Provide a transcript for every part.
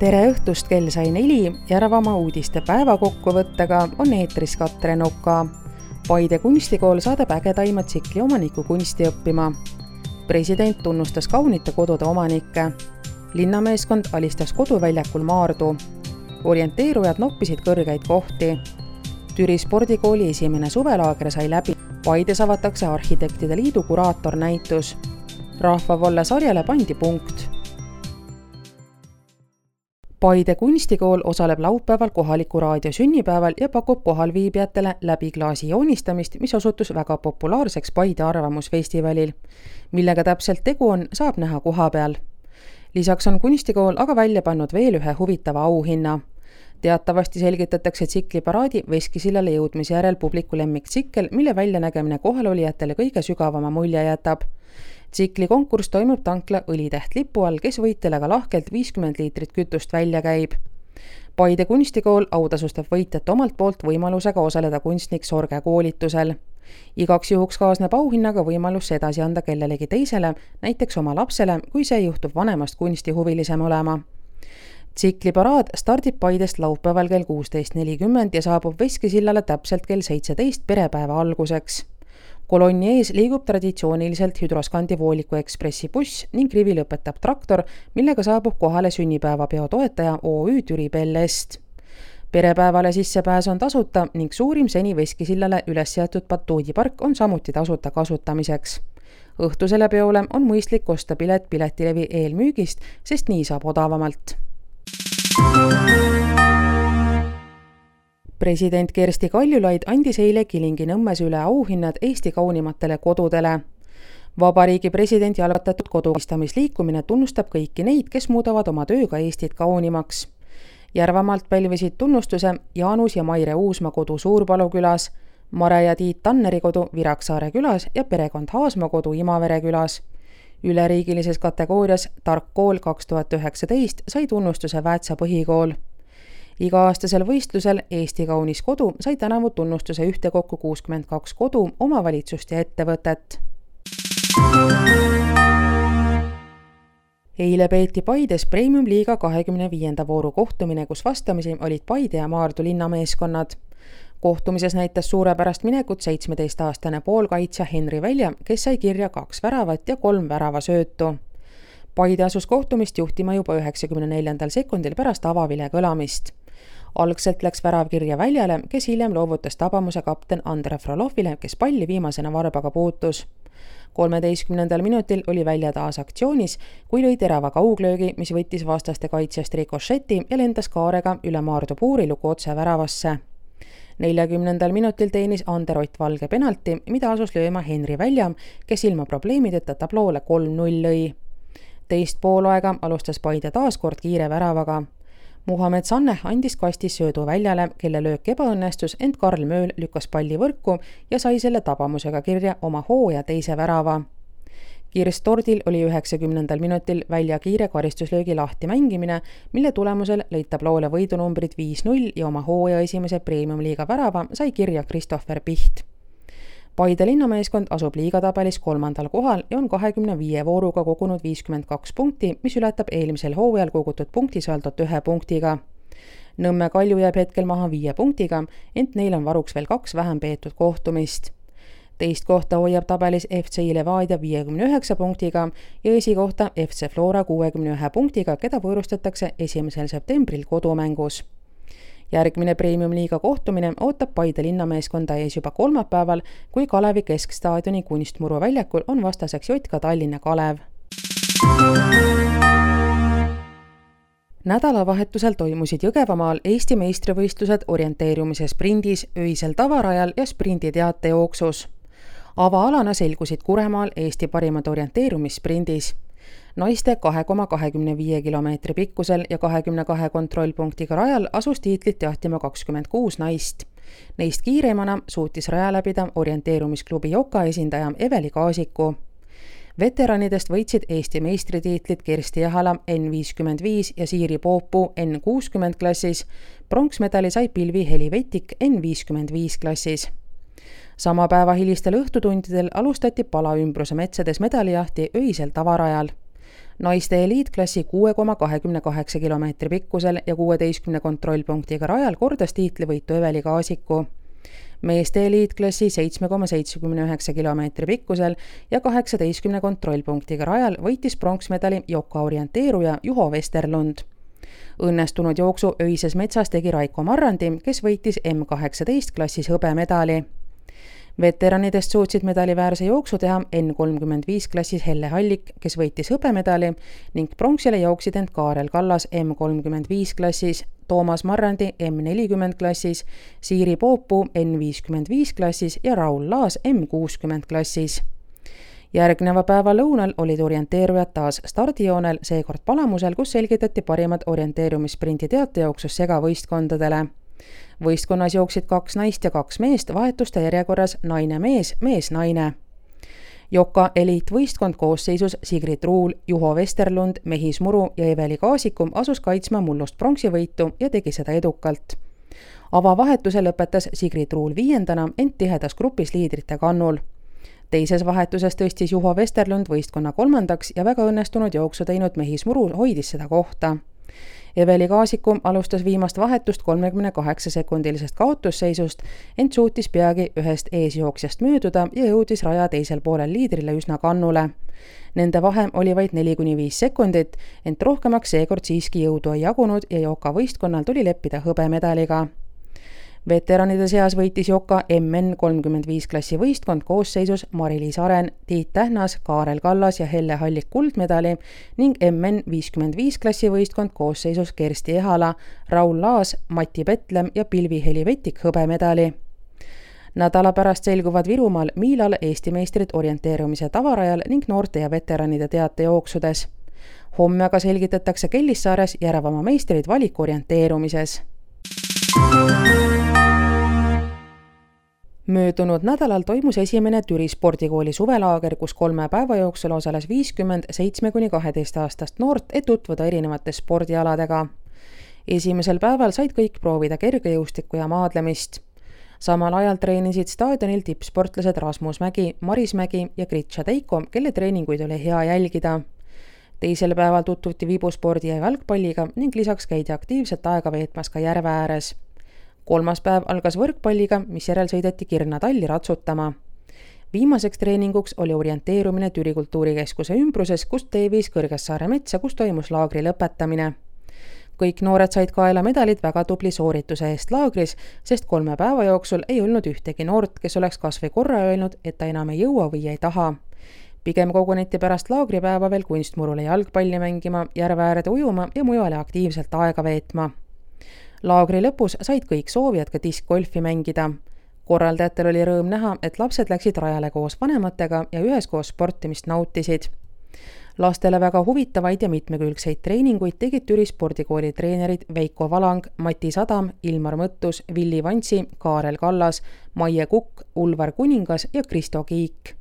Tere õhtust, kell sai 4, Järvamaa uudiste päevakokkuvõttega on eetris Katrin Oka. Paide kunstikool saadab ägedaima tsikli omaniku kunsti õppima. President tunnustas kaunite kodude omanikke. Linnameeskond alistas koduväljakul Maardu. Orienteerujad noppisid kõrgeid kohti. Türi spordikooli esimene suvelaager sai läbi. Paides avatakse Arhitektide Liidu kuraatornäitus. Rahvavolle sarjale pandi punkt. Paide kunstikool osaleb laupäeval kohaliku raadio sünnipäeval ja pakub kohalviibijatele läbi klaasi joonistamist, mis osutus väga populaarseks Paide arvamusfestivalil. Millega täpselt tegu on, saab näha koha peal. Lisaks on kunstikool aga välja pannud veel ühe huvitava auhinna. Teatavasti selgitatakse tsikliparaadi Veskisillale jõudmise järel publiku lemmiktsikkel, mille väljanägemine kohalolijatele kõige sügavama mulje jätab. Tsikli konkurss toimub tankla Õlitäht lipu all, kes võitjale lahkelt 50 liitrit kütust välja käib. Paide kunstikool autasustab võitjat omalt poolt võimalusega osaleda kunstnik Sorge koolitusel. Igaks juhuks kaasneb auhinnaga võimalus edasi anda kellelegi teisele, näiteks oma lapsele, kui see juhtub vanemast kunstihuvilisem olema. Tsikliparaad stardib Paidest laupäeval kell 16.40 ja saabub Veskisillale täpselt kell 17 perepäeva alguseks. Kolonni ees liigub traditsiooniliselt Hydroskandi Vooliku Ekspressi buss ning rivi lõpetab traktor, millega saabub kohale sünnipäevapeo toetaja OÜ Türi Bellest. Perepäevale sissepääs on tasuta ning suurim seni Veskisillale üles seatud batuudipark on samuti tasuta kasutamiseks. Õhtusele peole on mõistlik osta pilet Piletilevi eelmüügist, sest nii saab odavamalt. President Kersti Kaljulaid andis eile Kilingi-Nõmmes üle auhinnad Eesti kaunimatele kodudele. Vabariigi presidendi algatatud kodustamisliikumine tunnustab kõiki neid, kes muudavad oma tööga Eestit kaunimaks. Järvamaalt pälvisid tunnustuse Jaanus ja Maire Uusma kodu Suurpalu külas, Mare ja Tiit Tanneri kodu Viraksaare külas ja perekond Haasma kodu Imavere külas. Üleriigilises kategoorias Tark kool 2019 sai tunnustuse Väätsa põhikool. Iga-aastasel võistlusel Eesti kaunis kodu sai tänavu tunnustuse ühtekokku 62 kodu, omavalitsust ja ettevõtet. Eile peeti Paides Premium-liiga 25. vooru kohtumine, kus vastamisi olid Paide ja Maardu linnameeskonnad. Kohtumises näitas suurepärast minekut 17-aastane poolkaitsja Henri Välja, kes sai kirja 2 väravat ja 3 väravasöötu. Paide asus kohtumist juhtima juba 94. sekundil pärast avavile kõlamist. Algselt läks värav kirja Väljale, kes hiljem loovutas tabamuse kapten Andre Frolovile, kes palli viimasena varbaga puutus. 13. minutil oli Välja taas aktsioonis, kui lõi terava kauglöögi, mis võttis vastaste kaitsjast rikošeti ja lendas kaarega üle Maardu puurilugu otse väravasse. 40. minutil teenis Ander Ott Valge penalti, mida asus lööma Henri Välja, kes ilma probleemideta tabloole 3-0 lõi. Teist poolaega alustas Paide taaskord kiire väravaga. Muhamed Sanneh andis kastis söödu Väljale, kelle löök ebaõnnestus, ent Karl Mööl lükkas palli võrku ja sai selle tabamusega kirja oma hooaja teise värava. Kirst Tordil oli 90. minutil Välja kiire karistuslöögi lahti mängimine, mille tulemusel lõid tabloole võidunumbrid 5-0 ja oma hooaja esimese Premium-liiga värava sai kirja Christopher Piht. Paide linnameeskond asub liigatabelis 3. kohal ja on 25 vooruga kogunud 52 punkti, mis ületab eelmisel hooajal kogutud punktisaldot 1 punktiga. Nõmme Kalju jääb hetkel maha 5 punktiga, ent neil on varuks veel 2 vähem peetud kohtumist. Teist kohta hoiab tabelis FC Levadia 59 punktiga ja esikohta FC Flora 61 punktiga, keda võõrustatakse 1. septembril kodumängus. Järgmine Premium-liiga kohtumine ootab Paide linnameeskonda ees juba kolmapäeval, kui Kalevi keskstaadioni kunstmuru väljakul on vastaseks Jotka Tallinna Kalev. Nädalavahetusel toimusid Jõgevamaal Eesti meistrivõistlused orienteerumise sprindis, öisel tavarajal ja sprindi teatejooksus. Avaalana selgusid Kuremaal Eesti parimad orienteerumissprindis. Naiste 2,25 kilomeetri pikkusel ja 22 kontrollpunktiga rajal asus tiitlit jahtima 26 naist. Neist kiireimana suutis raja läbida orienteerumisklubi Joka esindaja Eveli Kaasiku. Veteranidest võitsid Eesti meistritiitlit Kersti Jahala N55 ja Siiri Poopuu N60 klassis. Pronksmedali sai Pilvi Heli Vetik N55 klassis. Sama päeva hilistel õhtutundidel alustati Palaümbruse metsades medalijahti öisel tavarajal. naiste eliitklassi 6,28 kilomeetri pikkusel ja 16 kontrollpunktiga rajal kordas tiitlivõitu Eveli Kaasiku. Meeste eliitklassi 7,79 kilomeetri pikkusel ja 18 kontrollpunktiga rajal võitis pronksmedali Joka orienteeruja Juho Vesterlund. Õnnestunud jooksu öises metsas tegi Raiko Marrandi, kes võitis M18 klassis hõbemedali. Veteranidest suutsid medaliväärse jooksu teha N35 klassis Helle Hallik, kes võitis hõbemedali, ning pronksile jooksid end Kaarel Kallas M35 klassis, Toomas Marrandi M40 klassis, Siiri Poopuu N55 klassis ja Raul Laas M60 klassis. Järgneva päeva lõunal olid orienteerujad taas stardijoonel, seekord Palamusel, kus selgitati parimad orienteerumissprinti teatejooksus segavõistkondadele. Võistkonnas jooksid 2 naist ja 2 meest vahetuste järjekorras naine-mees, mees-naine. Joka eliitvõistkond koosseisus Sigrid Ruul, Juho Vesterlund, Mehis Muru ja Eveli Kaasikum asus kaitsma mullust pronksivõitu ja tegi seda edukalt. Avavahetuse lõpetas Sigrid Ruul 5. ent tihedas grupis liidrite kannul. Teises vahetuses tõstis Juho Vesterlund võistkonna 3. ja väga õnnestunud jooksu teinud Mehis Muru hoidis seda kohta. Eveli Kaasikum alustas viimast vahetust 38-sekundilisest kaotusseisust, ent suutis peagi ühest eesjooksjast mööduda ja jõudis raja teisel poolel liidrile üsna kannule. Nende vahe oli vaid 4-5 sekundit, ent rohkemaks seekord siiski jõudu ei jagunud ja Joka võistkonnal tuli leppida hõbemedaliga. Veteranide seas võitis Joka MN35 klassi võistkond koosseisus Mari-Liis Aren, Tiit Tähnas, Kaarel Kallas ja Helle Hallik kuldmedali ning MN55 klassi võistkond koosseisus Kersti Ehala, Raul Laas, Mati Petlem ja Pilvi Heli Vetik hõbemedali. Nädala pärast selguvad Virumaal Miilal Eesti meistrid orienteerumise tavarajal ning noorte ja veteranide teatejooksudes. Homme aga selgitatakse Kellissaares Järvamaa meistrid valikorienteerumises. Möödunud nädalal toimus esimene Türi spordikooli suvelaager, kus 3 päeva jooksul osales 50 7–12-aastast noort, et tutvuda erinevate spordialadega. Esimesel päeval said kõik proovida kergejõustikku ja maadlemist. Samal ajal treenisid staadionil tippsportlased Rasmus Mägi, Maris Mägi ja Gritša Teiko, kelle treeninguid oli hea jälgida. Teisel päeval tutvuti vibuspordi ja jalgpalliga ning lisaks käidi aktiivselt aega veetmas ka järve ääres. 3. päev algas võrkpalliga, mis järel sõideti Kirna talli ratsutama. Viimaseks treeninguks oli orienteerumine Türi kultuurikeskuse ümbruses, kust teeviis Kõrgessaare metsa, kus toimus laagri lõpetamine. Kõik noored said kaela medalid väga tubli soorituse eest laagris, sest 3 päeva jooksul ei olnud ühtegi noort, kes oleks kas või korra öelnud, et ta enam ei jõua või ei taha. Pigem koguneti pärast laagripäeva veel kunstmurule jalgpalli mängima, järve äärde ujuma ja mujale aktiivselt aega veetma. Laagri lõpus said kõik soovijad ka diskgolfi mängida. Korraldajatel oli rõõm näha, et lapsed läksid rajale koos vanematega ja üheskoos sportimist nautisid. Lastele väga huvitavaid ja mitmekülgseid treeninguid tegid Türi spordikooli treenerid Veiko Valang, Mati Sadam, Ilmar Mõttus, Villi Vantsi, Kaarel Kallas, Maie Kukk, Ulvar Kuningas ja Kristo Kiik.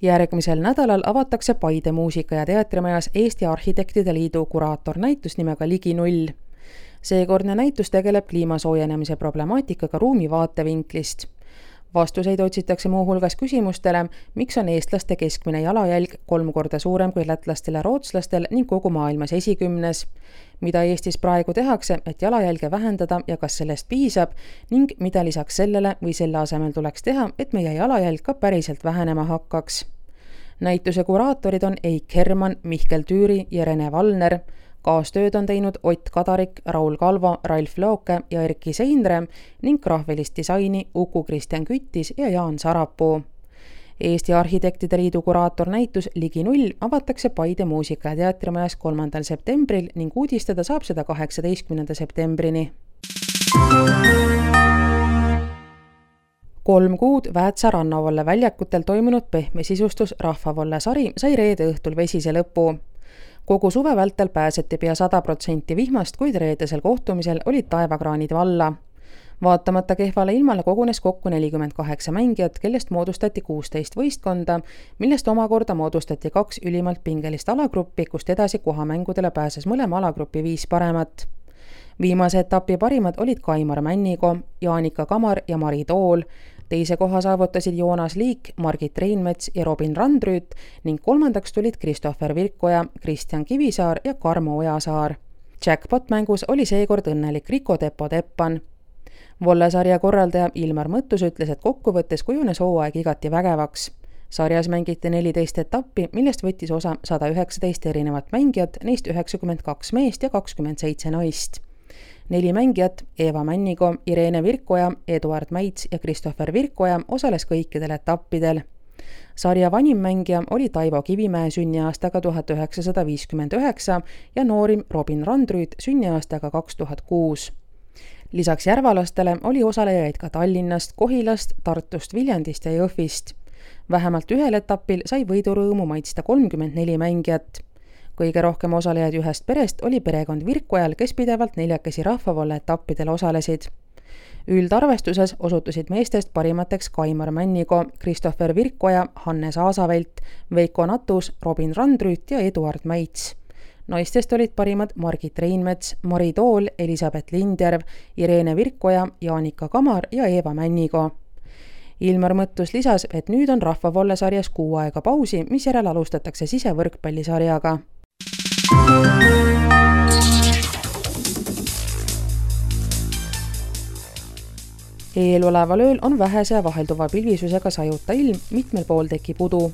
Järgmisel nädalal avatakse Paide muusika- ja teatrimajas Eesti Arhitektide Liidu kuraatornäitus nimega Ligi 0. Seekordne näitus tegeleb kliimasoojenemise problemaatikaga ruumi vaatevinklist. Vastuseid otsitakse muuhulgas küsimustele, miks on eestlaste keskmine jalajälg 3 korda suurem kui lätlastel ja rootslastel ning kogu maailmas esikümnes, mida Eestis praegu tehakse, et jalajälge vähendada ja kas sellest piisab ning mida lisaks sellele või selle asemel tuleks teha, et meie jalajälg ka päriselt vähenema hakkaks. Näituse kuraatorid on Eik Herman, Mihkel Tüüri ja Rene Valner. Kaastööd on teinud Ott Kadarik, Raul Kalvo, Ralf Looke ja Erki Seinre ning graafelist disaini Uku Kristjan Küttis ja Jaan Sarapuu. Eesti Arhitektide Liidu kuraatornäitus Ligi 0 avatakse Paide muusika- ja teatrimajas 3. septembril ning uudistada saab seda 18. septembrini. 3 kuud Väätsa rannavalle väljakutel toimunud pehme sisustus Rahvavolle sari sai reede õhtul vesise lõpu. Kogu suve vältel pääseti pea 100% vihmast, kuid reedesel kohtumisel olid taevakraanid valla. Vaatamata kehvale ilmale kogunes kokku 48 mängijat, kellest moodustati 16 võistkonda, millest omakorda moodustati 2 ülimalt pingelist alagruppi, kust edasi kohamängudele pääses mõlema alagrupi 5 paremat. Viimase etapi parimad olid Kaimar Männiko, Jaanika Kamar ja Mari Tool. teise koha saavutasid Joonas Liik, Margit Reinmets ja Robin Randrüüt ning kolmandaks tulid Christopher Virkoja, Kristjan Kivisaar ja Karmo Ojasaar. Jackpot-mängus oli seekord õnnelik Rico Tepo-Teppan. Vollesarja korraldaja Ilmar Mõttus ütles, et kokkuvõttes kujunes hooaeg igati vägevaks. Sarjas mängiti 14 etappi, millest võttis osa 119 erinevat mängijat, neist 92 meest ja 27 naist. 4 mängijat, Eva Männigo, Irene Virkoja, Eduard Mäits ja Christopher Virkoja osales kõikidel etappidel. Sarja vanim mängija oli Taivo Kivimäe sünniaastaga 1959 ja noorim Robin Randrüüt sünniaastaga 2006. Lisaks järvalastele oli osalejaid ka Tallinnast, Kohilast, Tartust, Viljandist ja Jõhvist. Vähemalt ühel etapil sai võidurõõmu maitsta 34 mängijat. Kõige rohkem osalejaid ühest perest oli perekond Virkojal, kes pidevalt 4 rahvavolle etappidel osalesid. Üldarvestuses osutusid meestest parimateks Kaimar Männigo, Christopher Virkoja, Hannes Aasavelt, Veiko Natus, Robin Randrüüt ja Eduard Mäits. Naistest olid parimad Margit Reinmets, Mari Tool, Elisabeth Lindjärv, Irene Virkoja, Jaanika Kamar ja Eva Männigo. Ilmar Mõttus lisas, et nüüd on rahvavollesarjas 6 aega pausi, mis järel alustatakse sisevõrkpallisarjaga. Eeloleval ööl on vähese ja vahelduva pilvisusega sajuta ilm, mitmel pool tekib udu.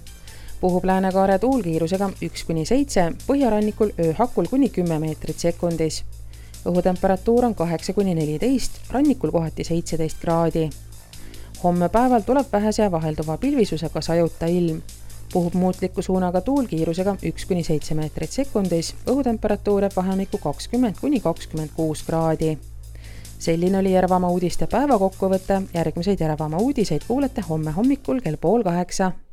Puhub läänekaare tuulkiirusega 1-7, põhjarannikul ööhakul kuni 10 meetrit sekundis. Õhutemperatuur on 8-14, rannikul kohati 17 kraadi. Homme päeval tuleb vähese ja vahelduva pilvisusega sajuta ilm. Puhub muutliku suunaga tuulkiirusega 1-7 meetrit sekundis, õhutemperatuur jääb vahemikku 20-26 kraadi. Selline oli Järvamaa uudiste päevakokkuvõte, järgmiseid Järvamaa uudiseid kuulete homme hommikul kell 7:30.